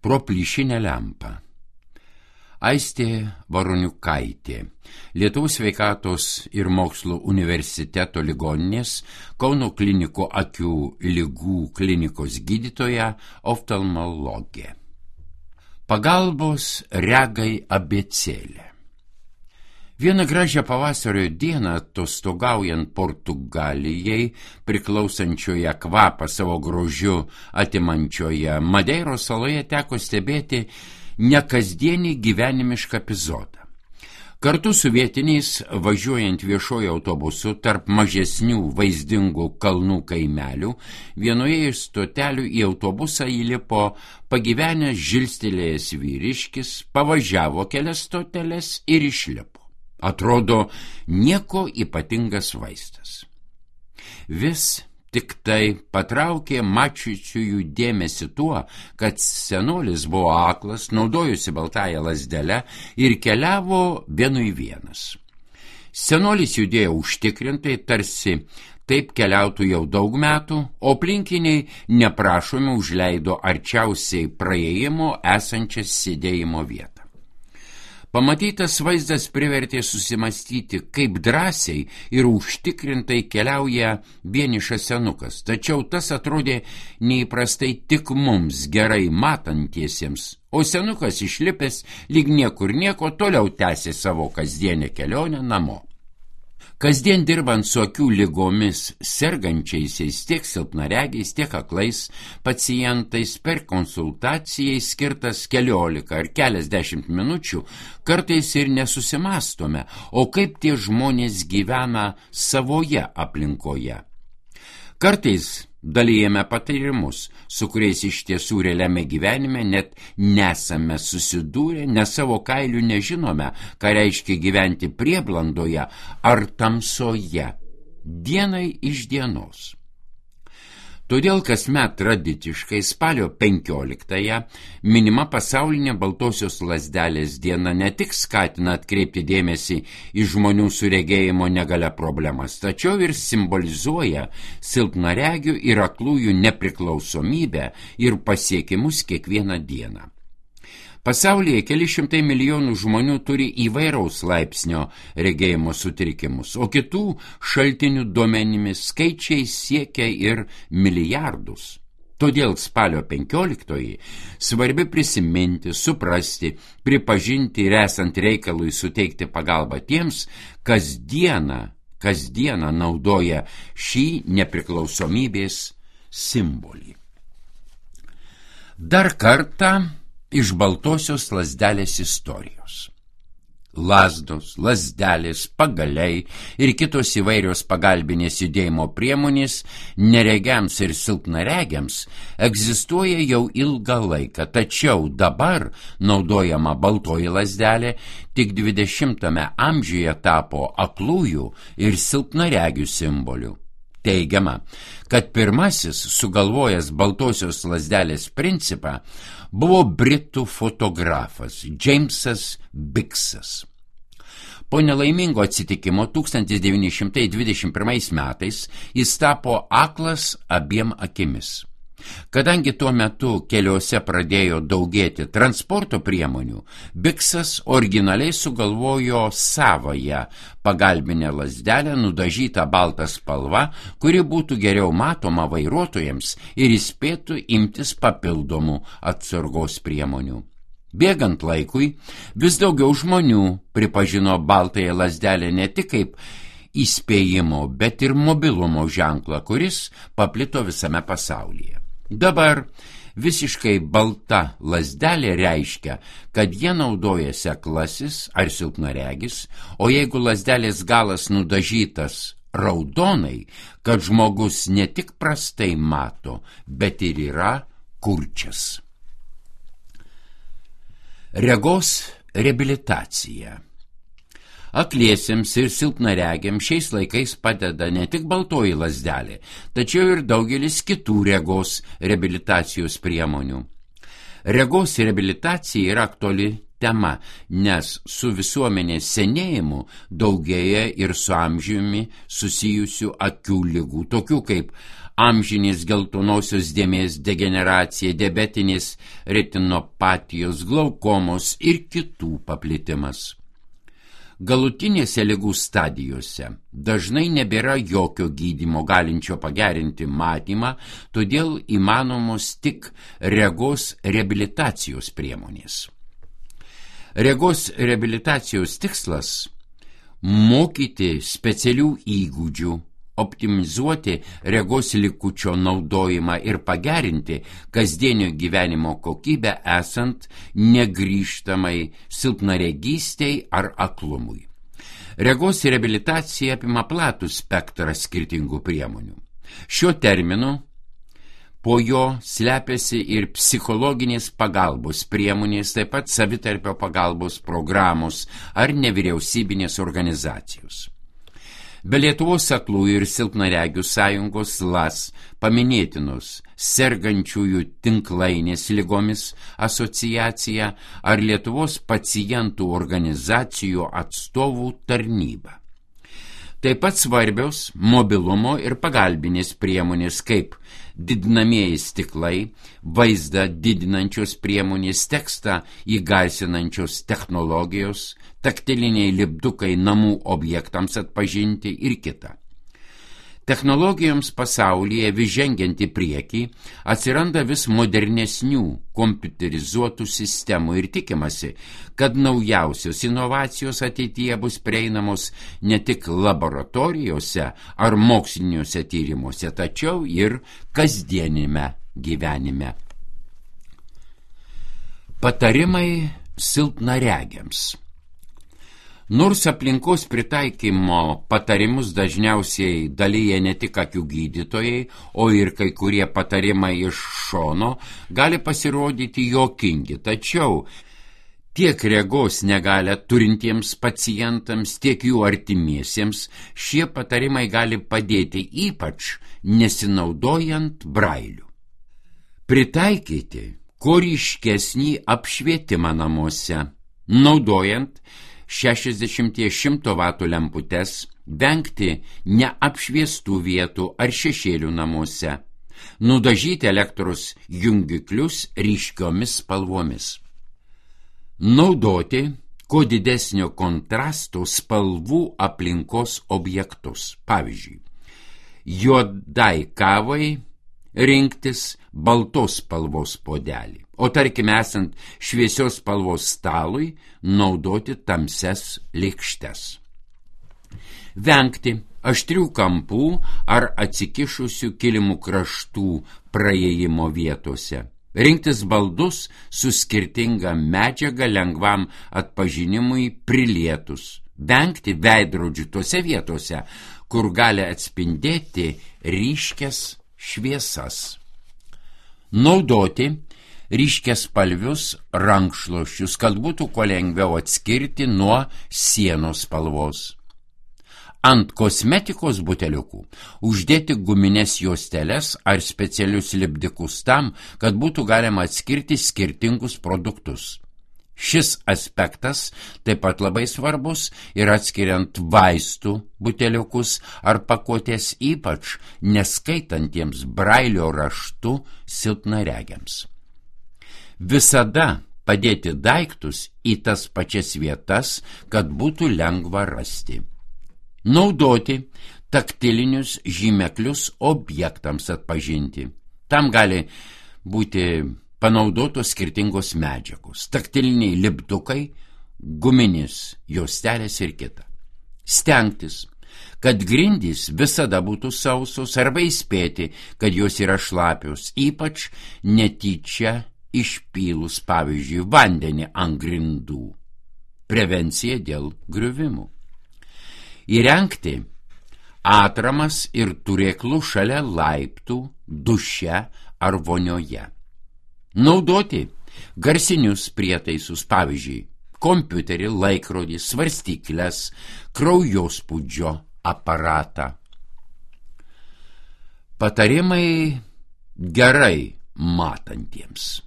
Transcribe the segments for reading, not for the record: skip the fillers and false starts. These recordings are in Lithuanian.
Pro plyšinę lempą. Aistė Varoniukaitė, Lietuvos sveikatos ir mokslo universiteto ligoninės Kauno klinikų akių ligų klinikos gydytoja, oftalmologė. Pagalbos regai abėcėlė. Vieną gražią pavasario dieną, atostogaujant Portugalijai, priklausančioje kvapą savo grožiu atimančioje Madeiros saloje, teko stebėti nekasdienį gyvenimišką epizodą. Kartu su vietiniais, važiuojant viešuoju autobusu tarp mažesnių vaizdingų kalnų kaimelių, vienoje iš stotelių į autobusą įlipo pagyvenęs žilstelėjęs vyriškis, pavažiavo kelias stoteles ir išlipo. Atrodo, nieko ypatingas vaistas. Vis tik tai patraukė mačiusiųjų dėmesį tuo, kad senolis buvo aklas, naudojosi baltąją lazdelę ir keliavo vienui vienas. Senolis judėjo užtikrintai, tarsi taip keliautų jau daug metų, o aplinkiniai neprašomi užleido arčiausiai praėjimo esančią sėdėjimo vietą. Pamatytas vaizdas privertė susimastyti, kaip drąsiai ir užtikrintai keliauja vienišas senukas, tačiau tas atrodė neįprastai tik mums gerai matantiesiems, o senukas išlipęs lyg niekur nieko toliau tęsė savo kasdienę kelionę namo. Kasdien dirbant su akių ligomis sergančiaisiais tiek silpnaregiais, tiek aklais pacientais, per konsultacijai skirtas 14 ar keliasdešimt minučių, kartais ir nesusimastome, o kaip tie žmonės gyvena savoje aplinkoje. Kartais dalijame patarimus, su kuriais iš tiesų realiame gyvenime net nesame susidūrę, nes savo kailių nežinome, ką reiškia gyventi prieblandoje ar tamsoje, dienai iš dienos. Todėl kasmet tradiciškai spalio 15-ąją minima pasaulinė baltosios lazdelės diena ne tik skatina atkreipti dėmesį į žmonių su regėjimo negalia problemas, tačiau ir simbolizuoja silpnaregių ir aklųjų nepriklausomybę ir pasiekimus kiekvieną dieną. Pasaulyje keli šimtai milijonų žmonių turi įvairaus laipsnio regėjimo sutrikimus, o kitų šaltinių duomenimis skaičiai siekia ir milijardus. Todėl spalio 15-oji svarbi prisiminti, suprasti, pripažinti ir esant reikalui suteikti pagalbą tiems, kasdieną naudoja šį nepriklausomybės simbolį. Dar kartą iš baltosios lazdelės istorijos. Lazdos, lazdelės, pagaliai ir kitos įvairios pagalbinės judėjimo priemonės neregiams ir silpnaregiams egzistuoja jau ilgą laiką, tačiau dabar naudojama baltoji lazdelė tik 20-ame amžiuje tapo aklųjų ir silpnaregių simboliu. Teigiama, kad pirmasis sugalvojęs baltosios lazdelės principą buvo britų fotografas Džeimsas Biksas. Po nelaimingo atsitikimo 1921 metais jis tapo aklas abiem akimis. Kadangi tuo metu keliuose pradėjo daugėti transporto priemonių, Biksas originaliai sugalvojo savąją pagalbinę lazdelę nudažytą baltą spalva, kuri būtų geriau matoma vairuotojams ir įspėtų imtis papildomų atsargos priemonių. Bėgant laikui, vis daugiau žmonių pripažino baltąją lazdelę ne tik kaip įspėjimo, bet ir mobilumo ženklą, kuris paplito visame pasaulyje. Dabar visiškai balta lazdelė reiškia, kad jie naudojasi aklasis ar silpnaregis, o jeigu lazdelės galas nudažytas raudonai, kad žmogus ne tik prastai mato, bet ir yra kurčias. Regos reabilitacija. Akliesiems ir silpnaregiams šiais laikais padeda ne tik baltoji lazdelė, tačiau ir daugelis kitų regos reabilitacijos priemonių. Regos reabilitacija yra aktuali tema, nes su visuomenės senėjimu daugėja ir su amžiumi susijusių akių ligų, tokių kaip amžinės geltonosios dėmės degeneracija, diabetinės retinopatijos, glaukomos ir kitų paplitimas. Galutinėse ligų stadijose dažnai nebėra jokio gydymo galinčio pagerinti matymą, todėl įmanomos tik regos reabilitacijos priemonės. Regos reabilitacijos tikslas – mokyti specialių įgūdžių, optimizuoti regos likučio naudojimą ir pagerinti kasdienio gyvenimo kokybę esant negrįžtamai silpnaregystei ar aklumui. Regos reabilitacija apima platų spektrą skirtingų priemonių. Šiuo terminu po jo slepiasi ir psichologinės pagalbos priemonės, taip pat savitarpio pagalbos programos ar nevyriausybinės organizacijos. Be Lietuvos aklųjų ir silpnaregių sąjungos LAS paminėtinos sergančiųjų tinklainės ligomis asociacija ar Lietuvos pacientų organizacijų atstovų tarnyba. Taip pat svarbios mobilumo ir pagalbinės priemonės kaip didinamieji stiklai, vaizdą didinančios priemonės, tekstą įgarsinančios technologijos, taktiliniai lipdukai namų objektams atpažinti ir kita. Technologijoms pasaulyje vis žengiant į priekį atsiranda vis modernesnių kompiuterizuotų sistemų ir tikimasi, kad naujausios inovacijos ateityje bus prieinamos ne tik laboratorijose ar moksliniuose tyrimuose, tačiau ir kasdienime gyvenime. Patarimai silpnaregiams. Nors aplinkos pritaikymo patarimus dažniausiai dalyja ne tik akių gydytojai, o ir kai kurie patarimai iš šono gali pasirodyti juokingi, tačiau tiek regos negalią turintiems pacientams, tiek jų artimiesiems šie patarimai gali padėti, ypač nesinaudojant brailiu. Pritaikyti kuo ryškesnį apšvietimą namuose, naudojant 60-100 vatų lemputes, vengti neapšviestų vietų ar šešėlių namuose, nudažyti elektros jungiklius ryškiomis spalvomis. Naudoti kuo didesnio kontrasto spalvų aplinkos objektus. Pavyzdžiui, juodai kavai rinktis baltos spalvos puodelį, o tarkime esant šviesios spalvos stalui naudoti tamsias lėkštes. Vengti aštrių kampų ar atsikišusių kilimų kraštų praėjimo vietose. Rinktis baldus su skirtinga medžiaga lengvam atpažinimui prilietus. Vengti veidrodžių tose vietose, kur gali atspindėti ryškias šviesas. Naudoti ryškiaspalvius rankšluosčius, kad būtų kuo lengviau atskirti nuo sienos spalvos. Ant kosmetikos buteliukų uždėti gumines juosteles ar specialius lipdikus tam, kad būtų galima atskirti skirtingus produktus. Šis aspektas taip pat labai svarbus ir atskiriant vaistų buteliukus ar pakuotės, ypač neskaitantiems brailio raštu silpnaregiams. Visada padėti daiktus į tas pačias vietas, kad būtų lengva rasti. Naudoti taktilinius žymeklius objektams atpažinti. Tam gali būti panaudotos skirtingos medžiagos, taktiliniai lipdukai, guminis juostelės ir kita. Stengtis, kad grindys visada būtų sausos arba įspėti, kad jos yra šlapios, ypač netyčia išpylus, pavyzdžiui, vandenį ant grindų. Prevencija dėl griuvimų. Įrengti atramas ir turėklų šalia laiptų, duše ar vonioje. Naudoti garsinius prietaisus, pavyzdžiui, kompiuterį, laikrodį, svarstyklės, kraujospūdžio aparatą. Patarimai gerai matantiems.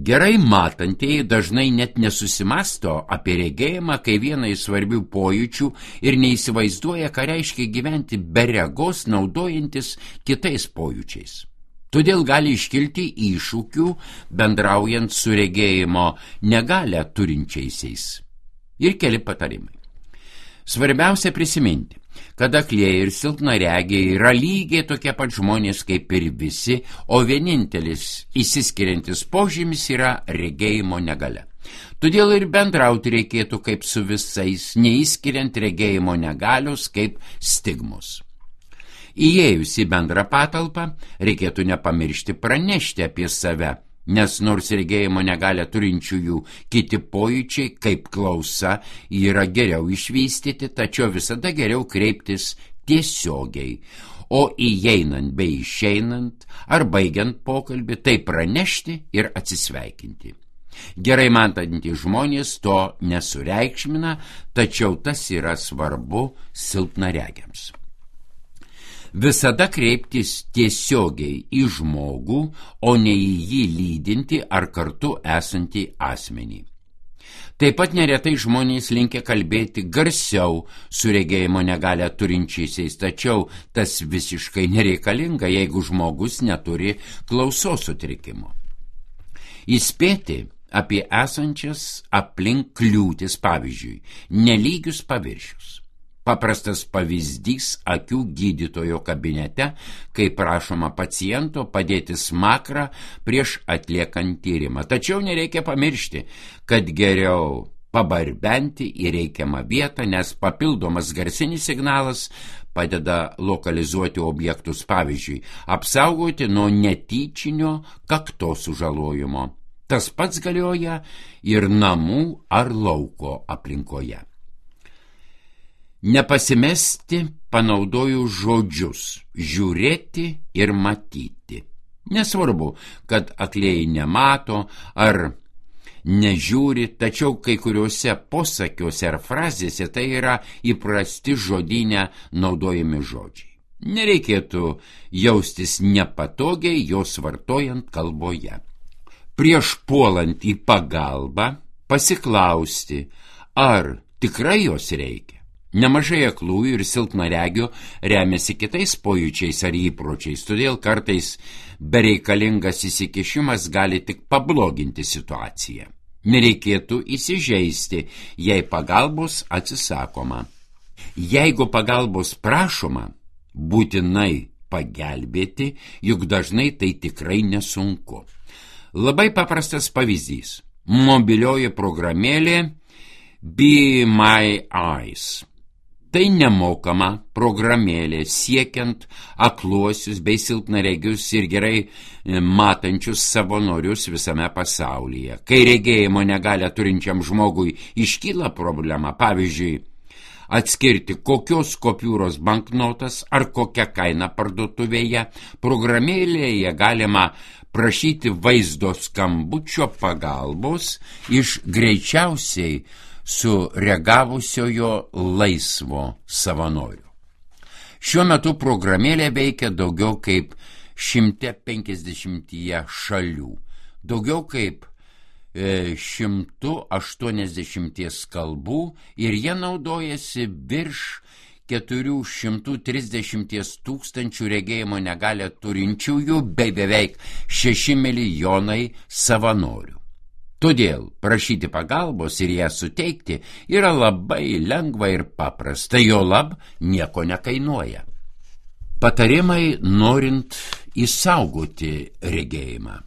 Gerai matantieji dažnai net nesusimasto apie regėjimą, kai vieną iš svarbių pojūčių ir neįsivaizduoja, ką reiškia gyventi be regos, naudojantis kitais pojūčiais. Todėl gali iškilti iššūkių bendraujant su regėjimo negalią turinčiaisiais. Ir keli patarimai. Svarbiausia prisiminti, kad aklieji ir silpnaregiai yra lygiai tokie pat žmonės kaip ir visi, o vienintelis išsiskiriantis požymis yra regėjimo negalia. Todėl ir bendrauti reikėtų kaip su visais, neįskiriant regėjimo negalios kaip stigmos. Įėjus į bendrą patalpą, reikėtų nepamiršti pranešti apie save, nes nors regėjimo negalią turinčiųjų kiti pojūčiai, kaip klausa, yra geriau išvystyti, tačiau visada geriau kreiptis tiesiogiai, o įeinant bei išeinant ar baigiant pokalbį, tai pranešti ir atsisveikinti. Gerai matantys žmonės to nesureikšmina, tačiau tas yra svarbu silpnaregiams. Visada kreiptis tiesiogiai į žmogų, o ne į jį lydinti ar kartu esantį asmenį. Taip pat neretai žmonės linkę kalbėti garsiau su regėjimo negalią turinčiaisiais, tačiau tas visiškai nereikalinga, jeigu žmogus neturi klausos sutrikimo. Įspėti apie esančias aplink kliūtis, pavyzdžiui, nelygius paviršius. Paprastas pavyzdys akių gydytojo kabinete, kai prašoma paciento padėti smakrą prieš atliekant tyrimą. Tačiau nereikia pamiršti, kad geriau pabarbenti į reikiamą vietą, nes papildomas garsinis signalas padeda lokalizuoti objektus, pavyzdžiui, apsaugoti nuo netyčinio kaktos sužalojimo. Tas pats galioja ir namų ar lauko aplinkoje. Nepasimesti panaudojus žodžius žiūrėti ir matyti. Nesvarbu, kad aklieji nemato ar nežiūri, tačiau kai kuriuose posakiuose ar frazėse tai yra įprasti žodyne naudojami žodžiai. Nereikėtų jaustis nepatogiai jos vartojant kalboje. Prieš puolant į pagalbą pasiklausti, ar tikrai jos reikia. Nemažai aklųjų ir silpnaregių remiasi kitais pojūčiais ar įpročiais, todėl kartais bereikalingas įsikišimas gali tik pabloginti situaciją. Nereikėtų įsižeisti, jei pagalbos atsisakoma. Jeigu pagalbos prašoma, būtinai pagelbėti, juk dažnai tai tikrai nesunku. Labai paprastas pavyzdys. Mobilioji programėlė Be My Eyes. Tai nemokama programėlė siekiant akluosius bei silpnaregius ir gerai matančius savanorius visame pasaulyje. Kai regėjimo negalią turinčiam žmogui iškyla problema, pavyzdžiui, atskirti kokios kopiūros banknotas ar kokią kainą parduotuvėje, programėlėje galima prašyti vaizdo skambučio pagalbos iš greičiausiai sureagavusiojo laisvo savanorių. Šiuo metu programėlė veikia daugiau kaip 150 šalių, daugiau kaip 180 kalbų ir jie naudojasi virš 430 tūkstančių regėjimo negalią turinčiųjų bei beveik 6 milijonai savanorių. Todėl prašyti pagalbos ir ją suteikti yra labai lengva ir paprasta, juolab nieko nekainuoja. Patarimai norint išsaugoti regėjimą.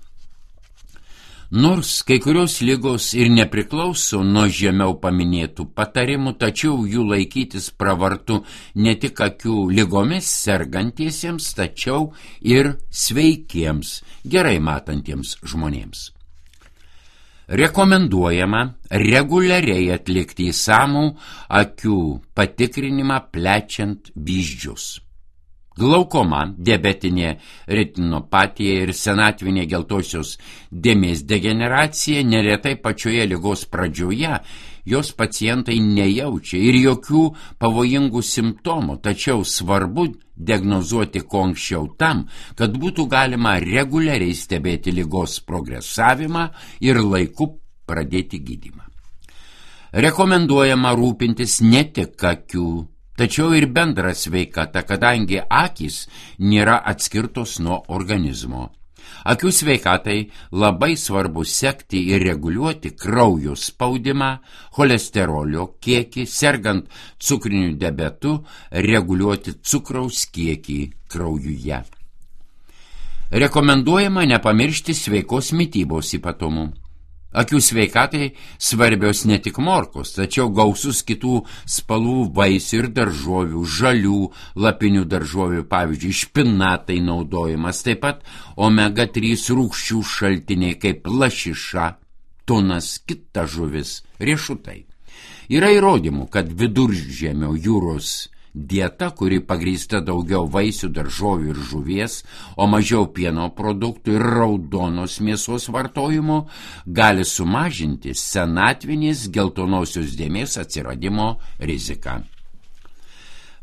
Nors kai kurios ligos ir nepriklauso nuo žemiau paminėtų patarimų, tačiau jų laikytis pravartu ne tik akių ligomis sergantiesiems, tačiau ir sveikiems, gerai matantiems žmonėms. Rekomenduojama reguliariai atlikti išsamų akių patikrinimą plečiant vyzdžius. Glaukoma, diabetinė retinopatija ir senatvinė geltosios dėmės degeneracija neretai pačioje ligos pradžioje jos pacientai nejaučia ir jokių pavojingų simptomų, tačiau svarbu diagnozuoti kuo anksčiau tam, kad būtų galima reguliariai stebėti ligos progresavimą ir laiku pradėti gydymą. Rekomenduojama rūpintis ne tik akių, tačiau ir bendra sveikata, kadangi akys nėra atskirtos nuo organizmo. Akių sveikatai labai svarbu sekti ir reguliuoti kraujo spaudimą, cholesterolio kiekį, sergant cukriniu diabetu, reguliuoti cukraus kiekį kraujuje. Rekomenduojama nepamiršti sveikos mitybos ypatumų. Akių sveikatai svarbios ne tik morkos, tačiau gausus kitų spalvų vaisių ir daržovių, žalių, lapinių daržovių, pavyzdžiui, špinatai naudojimas, taip pat omega-3 rūgščių šaltiniai kaip lašiša, tunas, kita žuvis, riešutai. Yra įrodymų, kad Viduržemio jūros dieta, kuri pagrįsta daugiau vaisių, daržovių ir žuvies, o mažiau pieno produktų ir raudonos mėsos vartojimo, gali sumažinti senatvinės geltonosios dėmės atsiradimo riziką.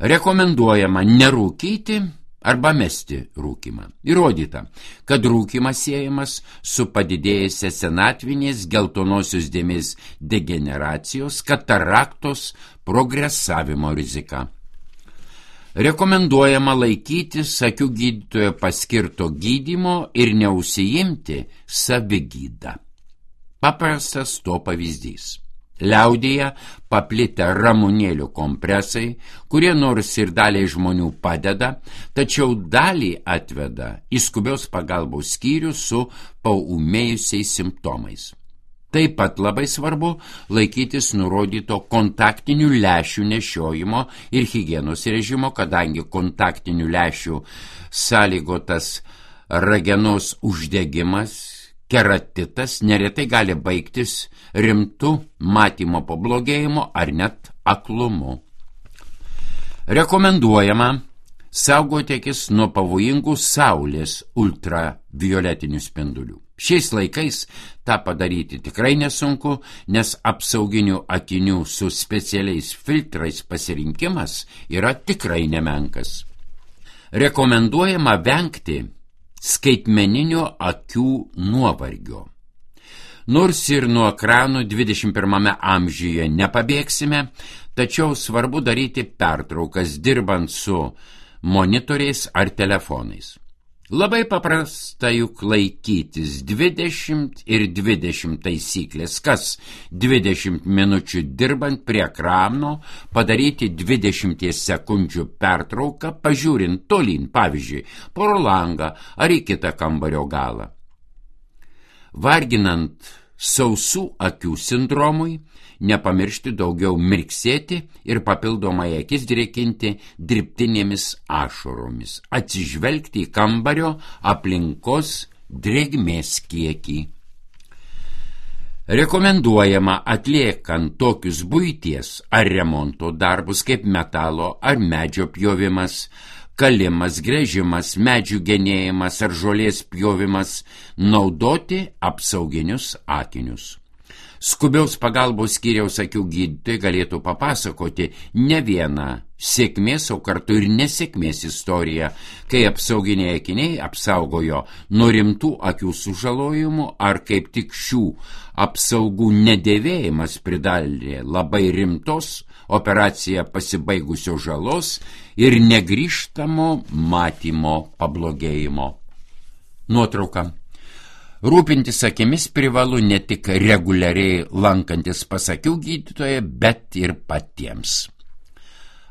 Rekomenduojama nerūkyti arba mesti rūkymą. Įrodyta, kad rūkymas siejamas su padidėjusia senatvinės geltonosios dėmės degeneracijos, kataraktos progresavimo rizika. Rekomenduojama laikytis akių gydytojo paskirto gydymo ir neužsiimti savigydą. Paprastas to pavyzdys. Liaudyje paplitę ramunėlių kompresai, kurie nors ir daliai žmonių padeda, tačiau dalį atveda į skubios pagalbos skyrių su paūmėjusiais simptomais. Taip pat labai svarbu laikytis nurodyto kontaktinių lęšių nešiojimo ir higienos režimo, kadangi kontaktinių lęšių sąlygotas ragenos uždegimas, keratitas neretai gali baigtis rimtu matymo pablogėjimu ar net aklumu. Rekomenduojama saugoti akis nuo pavojingų saulės ultravioletinių spindulių. Šiais laikais tą padaryti tikrai nesunku, nes apsauginių akinių su specialiais filtrais pasirinkimas yra tikrai nemenkas. Rekomenduojama vengti skaitmeninio akių nuovargio. Nors ir nuo ekranų 21 amžiuje nepabėgsime, tačiau svarbu daryti pertraukas dirbant su monitoriais ar telefonais. Labai paprasta juk laikytis 20 ir 20 taisyklės, kas 20 minučių dirbant prie ekrano padaryti 20 sekundžių pertrauką, pažiūrint tolyn, pavyzdžiui, pro langą ar į kitą kambario galą. Varginant sausų akių sindromui, nepamiršti daugiau mirksėti ir papildomai akis drėkinti dirbtinėmis ašaromis, atsižvelgti į kambario aplinkos drėgmės kiekį. Rekomenduojama atliekant tokius buities ar remonto darbus kaip metalo ar medžio pjovimas, kalimas, gręžimas, medžių genėjimas ar žolės pjovimas, naudoti apsauginius akinius. Skubiaus pagalbos skyriaus akių gydytojai galėtų papasakoti ne vieną sėkmės, o kartu ir nesėkmės istoriją, kai apsauginiai akiniai apsaugojo nuo rimtų akių sužalojimų ar kaip tik šių apsaugų nedėvėjimas pridarė labai rimtos operacija pasibaigusio žalos ir negrįžtamo matymo pablogėjimo. Nuotrauka. Rūpintis akimis privalu ne tik reguliariai lankantis pas akių gydytoją, bet ir patiems.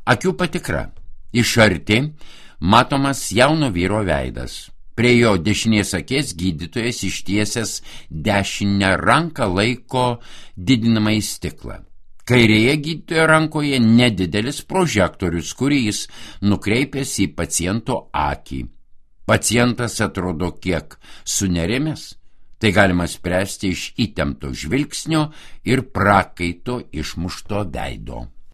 Akių patikra. Iš arti matomas jauno vyro veidas. Prie jo dešinės akies gydytojas ištiesęs dešinę ranką laiko didinamąjį stiklą. Kairėje gydytojo rankoje nedidelis prožektorius, kurį jis nukreipęs į paciento akį. Pacientas atrodo kiek sunerimęs. Tai galima spręsti iš įtempto žvilgsnio ir prakaito išmušto veido.